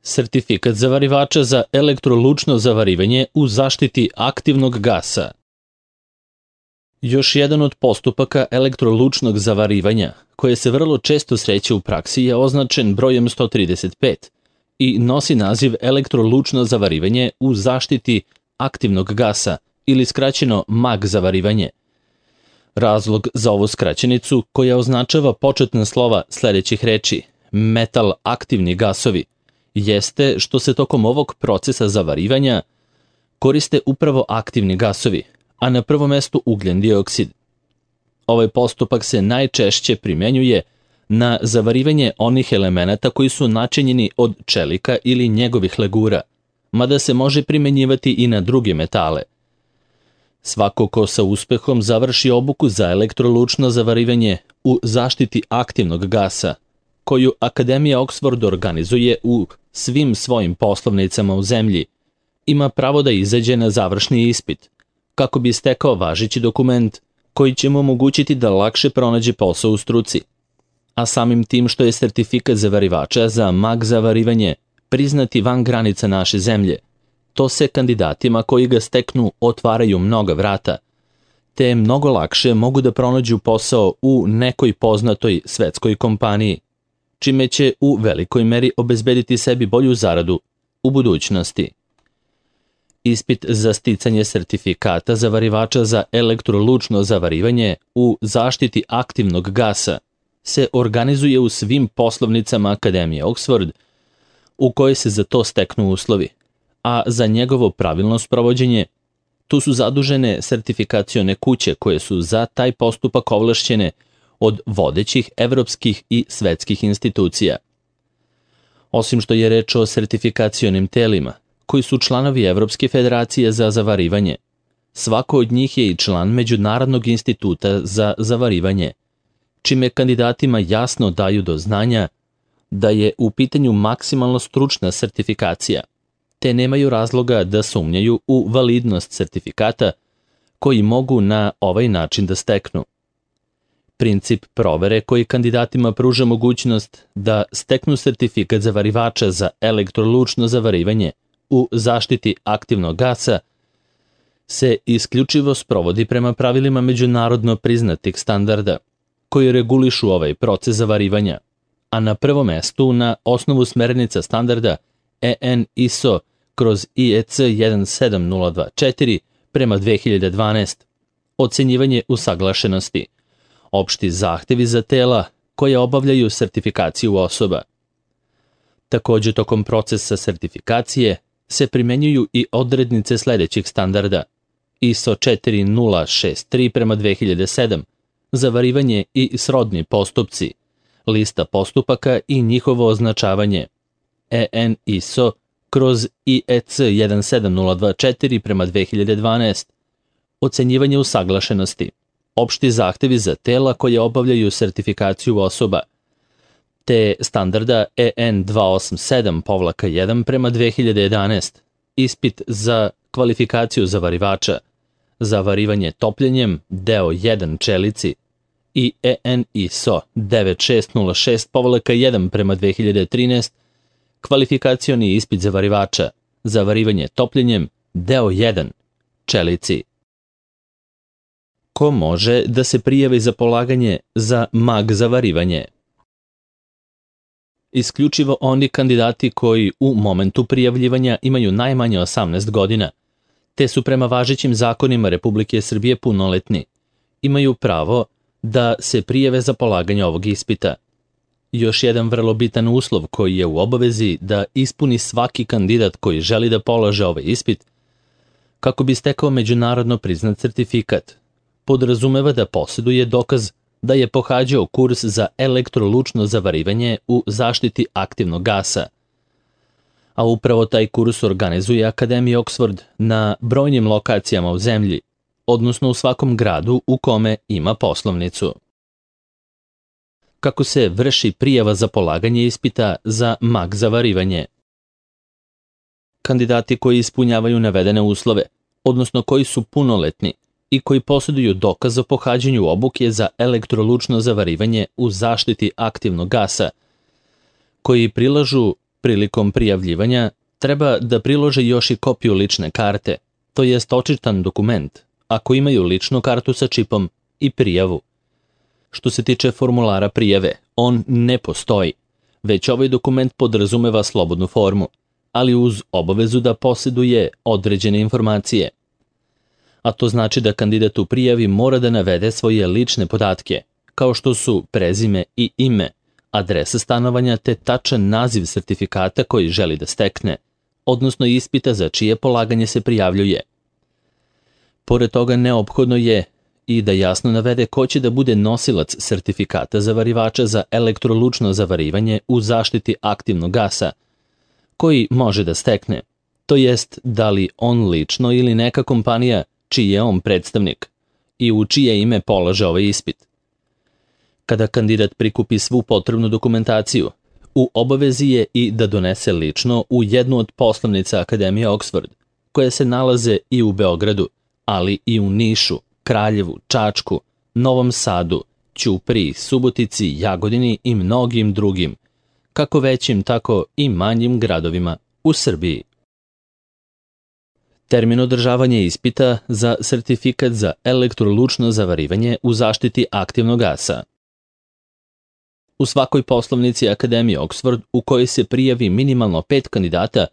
Sertifikat zavarivača za elektrolučno zavarivanje u zaštiti aktivnog gasa. Još jedan od postupaka elektrolučnog zavarivanja, koje se vrlo često sreće u praksi, je označen brojem 135 i nosi naziv elektrolučno zavarivanje u zaštiti aktivnog gasa ili skraćeno MAG zavarivanje. Razlog za ovu skraćenicu, koja označava početna slova sledećih reči metal aktivni gasovi, jeste što se tokom ovog procesa zavarivanja koriste upravo aktivni gasovi, a na prvom mestu ugljen dioksid. Ovaj postupak se najčešće primenjuje na zavarivanje onih elemenata koji su načinjeni od čelika ili njegovih legura, mada se može primenjivati i na druge metale. Svako ko sa uspehom završi obuku za elektrolučno zavarivanje u zaštiti aktivnog gasa, koju Akademija Oxford organizuje u svim svojim poslovnicama u zemlji, ima pravo da izađe na završni ispit, kako bi stekao važeći dokument koji će mu omogućiti da lakše pronađe posao u struci. A samim tim što je sertifikat zavarivača za MAG zavarivanje priznati van granica naše zemlje, to se kandidatima koji ga steknu otvaraju mnoga vrata, te mnogo lakše mogu da pronađu posao u nekoj poznatoj svetskoj kompaniji, čime će u velikoj meri obezbediti sebi bolju zaradu u budućnosti. Ispit za sticanje sertifikata zavarivača za elektrolučno zavarivanje u zaštiti aktivnog gasa se organizuje u svim poslovnicama Akademije Oxford u kojoj se za to steknu uslovi, a za njegovo pravilno sprovođenje tu su zadužene sertifikacione kuće koje su za taj postupak ovlašćene od vodećih evropskih i svetskih institucija. Osim što je reč o sertifikacionim telima, koji su članovi Evropske federacije za zavarivanje, svako od njih je i član Međunarodnog instituta za zavarivanje, čime kandidatima jasno daju do znanja da je u pitanju maksimalno stručna sertifikacija, te nemaju razloga da sumnjaju u validnost sertifikata koji mogu na ovaj način da steknu. Princip provere koji kandidatima pruža mogućnost da steknu sertifikat zavarivača za elektrolučno zavarivanje u zaštiti aktivnog gasa se isključivo sprovodi prema pravilima međunarodno priznatih standarda koji regulišu ovaj proces zavarivanja, a na prvom mestu na osnovu smernica standarda EN ISO/IEC 17024 prema 2012, ocenjivanje usaglašenosti, opšti zahtevi za tela koje obavljaju sertifikaciju osoba. Takođe, tokom procesa sertifikacije se primenjuju i odrednice sledećih standarda ISO 4063 prema 2007, zavarivanje i srodni postupci, lista postupaka i njihovo označavanje, EN ISO/IEC 17024 prema 2012, ocenjivanje usaglašenosti, opšti zahtevi za tela koje obavljaju sertifikaciju osoba, te standarda EN 287-1 prema 2011, ispit za kvalifikaciju zavarivača, zavarivanje topljenjem, deo 1 čelici, i EN ISO 9606-1 prema 2013, kvalifikacioni ispit zavarivača, zavarivanje topljenjem, deo 1 čelici. Ko može da se prijavi za polaganje za MAG zavarivanje? Isključivo oni kandidati koji u momentu prijavljivanja imaju najmanje 18 godina, te su prema važećim zakonima Republike Srbije punoletni, imaju pravo da se prijave za polaganje ovog ispita. Još jedan vrlo bitan uslov koji je u obavezi da ispuni svaki kandidat koji želi da polaže ovaj ispit, kako bi stekao međunarodno priznat sertifikat, podrazumeva da posjeduje dokaz da je pohađao kurs za elektrolučno zavarivanje u zaštiti aktivnog gasa. A upravo taj kurs organizuje Akademija Oxford na brojnim lokacijama u zemlji, odnosno u svakom gradu u kome ima poslovnicu. Kako se vrši prijava za polaganje ispita za MAG zavarivanje? Kandidati koji ispunjavaju navedene uslove, odnosno koji su punoletni i koji posjeduju dokaz o pohađanju obuke za elektrolučno zavarivanje u zaštiti aktivnog gasa, koji prilažu Prilikom prijavljivanja treba da prilože još i kopiju lične karte, to jest očitan dokument, ako imaju ličnu kartu sa čipom i prijavu. Što se tiče formulara prijave, on ne postoji, već ovaj dokument podrazumeva slobodnu formu, ali uz obavezu da posjeduje određene informacije. A to znači da kandidat u prijavi mora da navede svoje lične podatke, kao što su prezime i ime, adresa stanovanja te tačan naziv sertifikata koji želi da stekne, odnosno ispita za čije polaganje se prijavljuje. Pored toga neophodno je i da jasno navede ko će da bude nosilac sertifikata zavarivača za elektrolučno zavarivanje u zaštiti aktivnog gasa, koji može da stekne, to jest da li on lično ili neka kompanija čiji je on predstavnik i u čije ime polaže ovaj ispit. Kada kandidat prikupi svu potrebnu dokumentaciju, u obavezi je i da donese lično u jednu od poslovnica Akademije Oxford, koje se nalaze i u Beogradu, ali i u Nišu, Kraljevu, Čačku, Novom Sadu, Ćupriji, Subotici, Jagodini i mnogim drugim, kako većim, tako i manjim gradovima u Srbiji. Termin održavanja ispita za sertifikat za elektrolučno zavarivanje u zaštiti aktivnog gasa. U svakoj poslovnici Akademije Oxford u kojoj se prijavi minimalno 5 kandidata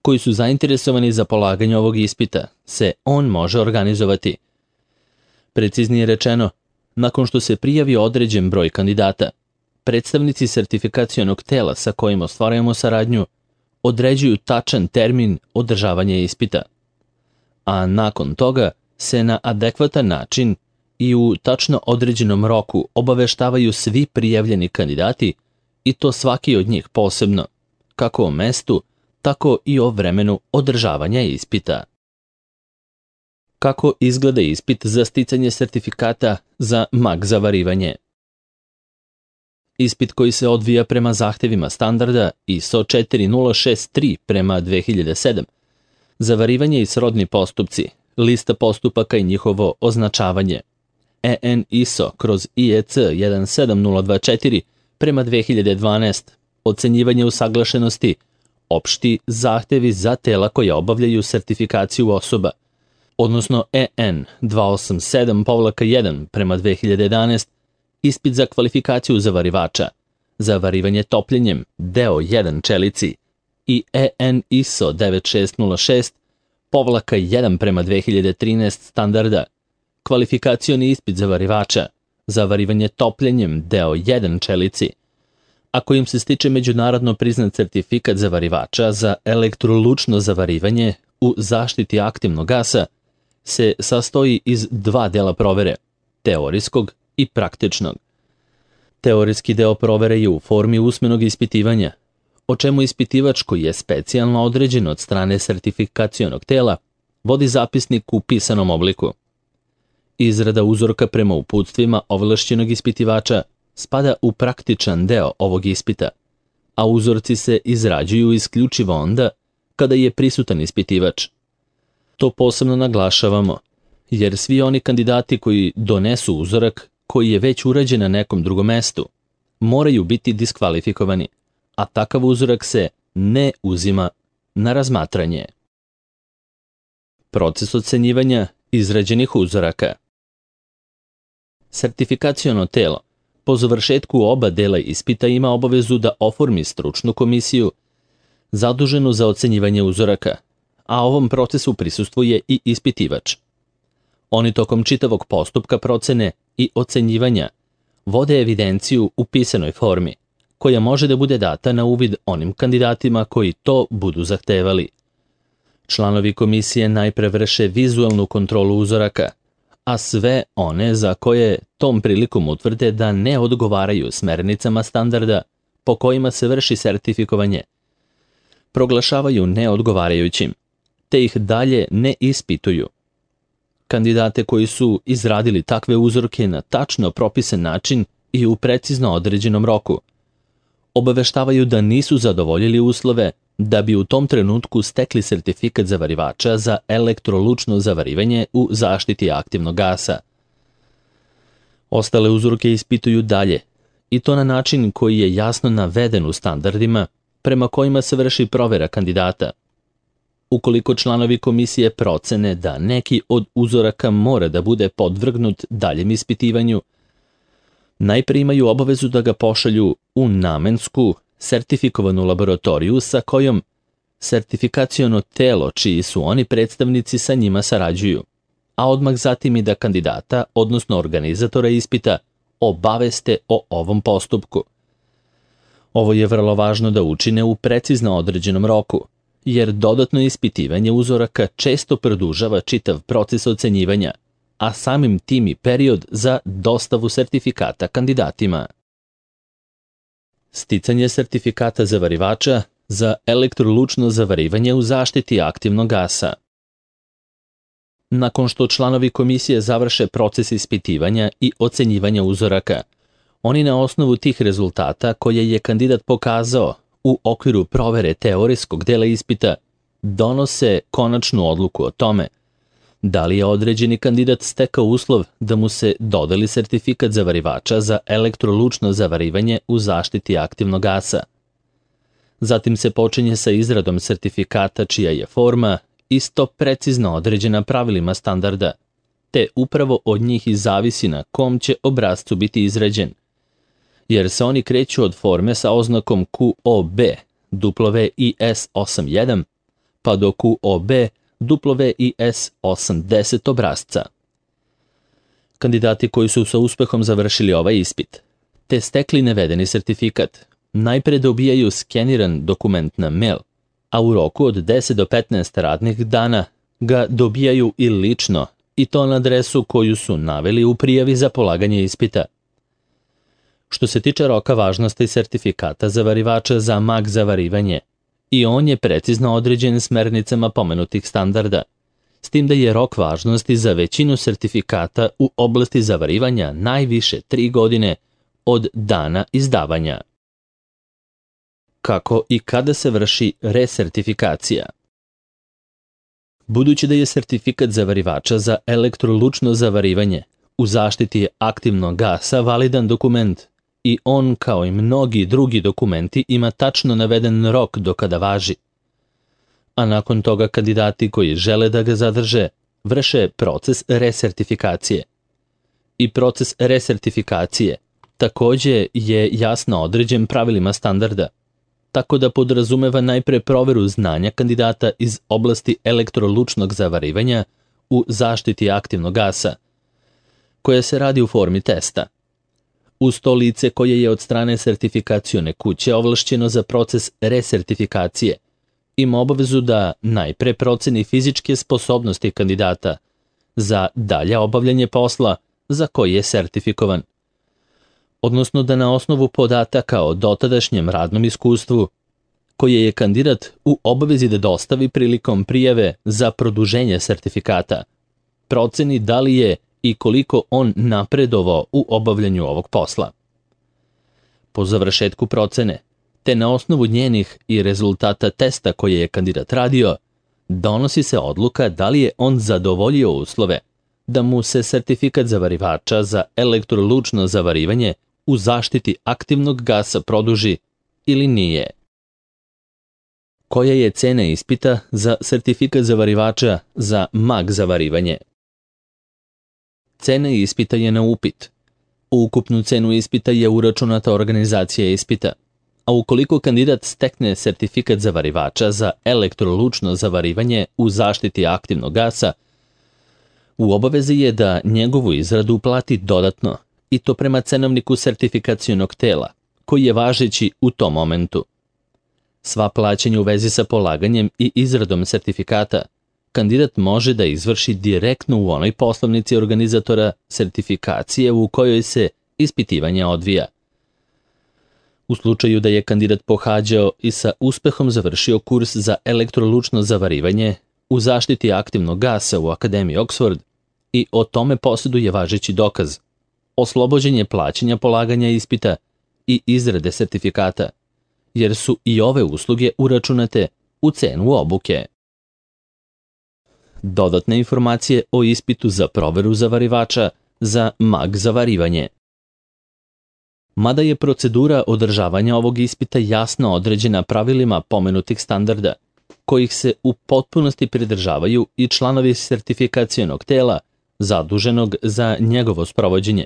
koji su zainteresovani za polaganje ovog ispita, se on može organizovati. Preciznije rečeno, nakon što se prijavi određen broj kandidata, predstavnici sertifikacionog tela sa kojim ostvarujemo saradnju određuju tačan termin održavanja ispita, a nakon toga se na adekvatan način i u tačno određenom roku obaveštavaju svi prijavljeni kandidati i to svaki od njih posebno, kako o mestu, tako i o vremenu održavanja ispita. Kako izgleda ispit za sticanje sertifikata za mag zavarivanje? Ispit koji se odvija prema zahtevima standarda ISO 4063 prema 2007, zavarivanje i srodni postupci, lista postupaka i njihovo označavanje, EN ISO/IEC 17024 prema 2012, ocenjivanje usaglašenosti, opšti zahtevi za tela koja obavljaju sertifikaciju osoba, odnosno EN 287-1 prema 2011, ispit za kvalifikaciju zavarivača, zavarivanje topljenjem, deo 1 čelici i EN ISO 9606-1 prema 2013 standarda, kvalifikacioni ispit zavarivača, zavarivanje topljenjem, deo 1 čelici, a kojim se stiče međunarodno priznat sertifikat zavarivača za elektrolučno zavarivanje u zaštiti aktivnog gasa, se sastoji iz 2 dela provere, teorijskog i praktičnog. Teorijski deo provere je u formi usmenog ispitivanja, o čemu ispitivač koji je specijalno određen od strane sertifikacionog tela vodi zapisnik u pisanom obliku. Izrada uzorka prema uputstvima ovlašćenog ispitivača spada u praktičan deo ovog ispita, a uzorci se izrađuju isključivo onda kada je prisutan ispitivač. To posebno naglašavamo, jer svi oni kandidati koji donesu uzorak koji je već urađen na nekom drugom mestu, moraju biti diskvalifikovani, a takav uzorak se ne uzima na razmatranje. Proces ocenjivanja izrađenih uzoraka. Sertifikaciono telo po završetku oba dela ispita ima obavezu da oformi stručnu komisiju zaduženu za ocenjivanje uzoraka, a ovom procesu prisustvuje i ispitivač. Oni tokom čitavog postupka procene i ocenjivanja vode evidenciju u pisanoj formi, koja može da bude data na uvid onim kandidatima koji to budu zahtevali. Članovi komisije najpre vrše vizualnu kontrolu uzoraka, a sve one za koje tom prilikom utvrde da ne odgovaraju smernicama standarda po kojima se vrši sertifikovanje, proglašavaju neodgovarajućim, te ih dalje ne ispituju. Kandidate koji su izradili takve uzorke na tačno propisan način i u precizno određenom roku obaveštavaju da nisu zadovoljili uslove da bi u tom trenutku stekli sertifikat zavarivača za elektrolučno zavarivanje u zaštiti aktivnog gasa. Ostale uzorke ispituju dalje, i to na način koji je jasno naveden u standardima, prema kojima se vrši provera kandidata. Ukoliko članovi komisije procene da neki od uzoraka mora da bude podvrgnut daljem ispitivanju, najpre imaju obavezu da ga pošalju u namensku, sertifikovanu laboratoriju sa kojom sertifikaciono telo čiji su oni predstavnici sa njima sarađuju, a odmah zatim i da kandidata, odnosno organizatora ispita, obaveste o ovom postupku. Ovo je vrlo važno da učine u precizno određenom roku, jer dodatno ispitivanje uzoraka često produžava čitav proces ocenjivanja, a samim tim i period za dostavu sertifikata kandidatima. Sticanje sertifikata zavarivača za elektrolučno zavarivanje u zaštiti aktivnog gasa. Nakon što članovi komisije završe proces ispitivanja i ocenjivanja uzoraka, oni na osnovu tih rezultata koje je kandidat pokazao u okviru provere teorijskog dela ispita donose konačnu odluku o tome da li je određeni kandidat stekao uslov da mu se dodeli sertifikat zavarivača za elektrolučno zavarivanje u zaštiti aktivnog gasa. Zatim se počinje sa izradom sertifikata čija je forma isto precizno određena pravilima standarda, te upravo od njih i zavisi na kom će obrascu biti izrađen, jer se oni kreću od forme sa oznakom QOB WIS81 pa do QOB WIS80 obrazca. Kandidati koji su sa uspehom završili ovaj ispit, te stekli navedeni sertifikat, najpre dobijaju skeniran dokument na mail, a u roku od 10 do 15 radnih dana ga dobijaju i lično, i to na adresu koju su naveli u prijavi za polaganje ispita. Što se tiče roka važnosti sertifikata zavarivača za mag zavarivanje, i on je precizno određen smernicama pomenutih standarda, s tim da je rok važnosti za većinu sertifikata u oblasti zavarivanja najviše 3 godine od dana izdavanja. Kako i kada se vrši resertifikacija? Budući da je sertifikat zavarivača za elektrolučno zavarivanje u zaštiti aktivnog gasa validan dokument i on, kao i mnogi drugi dokumenti, ima tačno naveden rok do kada važi, a nakon toga kandidati koji žele da ga zadrže vrše proces resertifikacije. I proces resertifikacije takođe je jasno određen pravilima standarda, tako da podrazumeva najpre proveru znanja kandidata iz oblasti elektrolučnog zavarivanja u zaštiti aktivnog gasa, koja se radi u formi testa. Uz to lice koje je od strane sertifikacione kuće ovlašćeno za proces resertifikacije ima obavezu da najpre proceni fizičke sposobnosti kandidata za dalje obavljanje posla za koji je sertifikovan, odnosno da na osnovu podataka o dotadašnjem radnom iskustvu, koje je kandidat u obavezi da dostavi prilikom prijave za produženje sertifikata, proceni da li je i koliko on napredovao u obavljanju ovog posla. Po završetku procene, te na osnovu njenih i rezultata testa koje je kandidat radio, donosi se odluka da li je on zadovoljio uslove da mu se sertifikat zavarivača za elektrolučno zavarivanje u zaštiti aktivnog gasa produži ili nije. Koja je cena ispita za sertifikat zavarivača za mag zavarivanje? Cena ispita je na upit. U ukupnu cenu ispita je uračunata organizacija ispita, a ukoliko kandidat stekne sertifikat zavarivača za elektrolučno zavarivanje u zaštiti aktivnog gasa, u obavezi je da njegovu izradu plati dodatno, i to prema cenovniku sertifikacionog tela, koji je važeći u tom momentu. Sva plaćanja u vezi sa polaganjem i izradom sertifikata kandidat može da izvrši direktno u onoj poslovnici organizatora sertifikacije u kojoj se ispitivanje odvija. U slučaju da je kandidat pohađao i sa uspehom završio kurs za elektrolučno zavarivanje u zaštiti aktivnog gasa u Akademiji Oxford i o tome posjeduje važeći dokaz, oslobođen je plaćanja polaganja ispita i izrade sertifikata, jer su i ove usluge uračunate u cenu obuke. Dodatne informacije o ispitu za proveru zavarivača za mag zavarivanje. Mada je procedura održavanja ovog ispita jasno određena pravilima pomenutih standarda, kojih se u potpunosti pridržavaju i članovi sertifikacionog tela zaduženog za njegovo sprovođenje.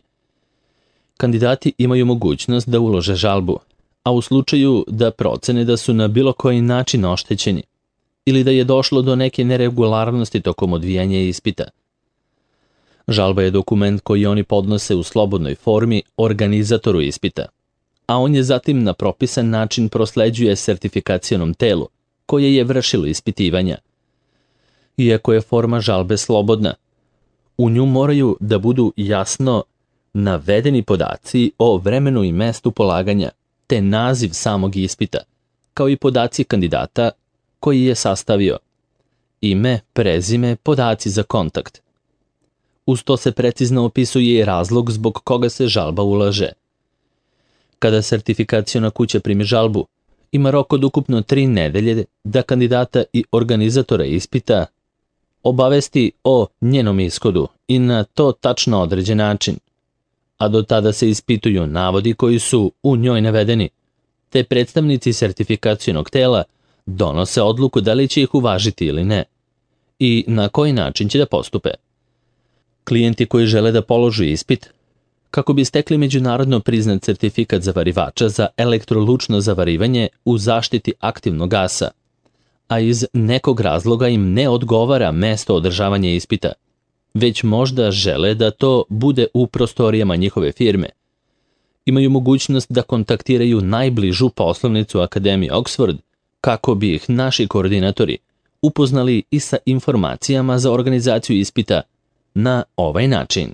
Kandidati imaju mogućnost da ulože žalbu, a u slučaju da procene da su na bilo koji način oštećeni ili da je došlo do neke neregularnosti tokom odvijanja ispita. Žalba je dokument koji oni podnose u slobodnoj formi organizatoru ispita, a on je zatim na propisan način prosleđuje sertifikacionom telu koje je vršilo ispitivanja. Iako je forma žalbe slobodna, u nju moraju da budu jasno navedeni podaci o vremenu i mestu polaganja, te naziv samog ispita, kao i podaci kandidata koji je sastavio, ime, prezime, podaci za kontakt. Uz to se precizno opisuje i razlog zbog koga se žalba ulaže. Kada sertifikaciona kuća primi žalbu, ima rok od ukupno 3 nedelje da kandidata i organizatora ispita obavesti o njenom ishodu i na to tačno određen način, a do tada se ispituju navodi koji su u njoj navedeni, te predstavnici sertifikacionog tela donose odluku da li će ih uvažiti ili ne i na koji način će da postupe. Klijenti koji žele da položu ispit, kako bi stekli međunarodno priznat sertifikat zavarivača za elektrolučno zavarivanje u zaštiti aktivnog gasa, a iz nekog razloga im ne odgovara mesto održavanja ispita, već možda žele da to bude u prostorijama njihove firme, imaju mogućnost da kontaktiraju najbližu poslovnicu Akademije Oxford kako bi ih naši koordinatori upoznali i sa informacijama za organizaciju ispita na ovaj način.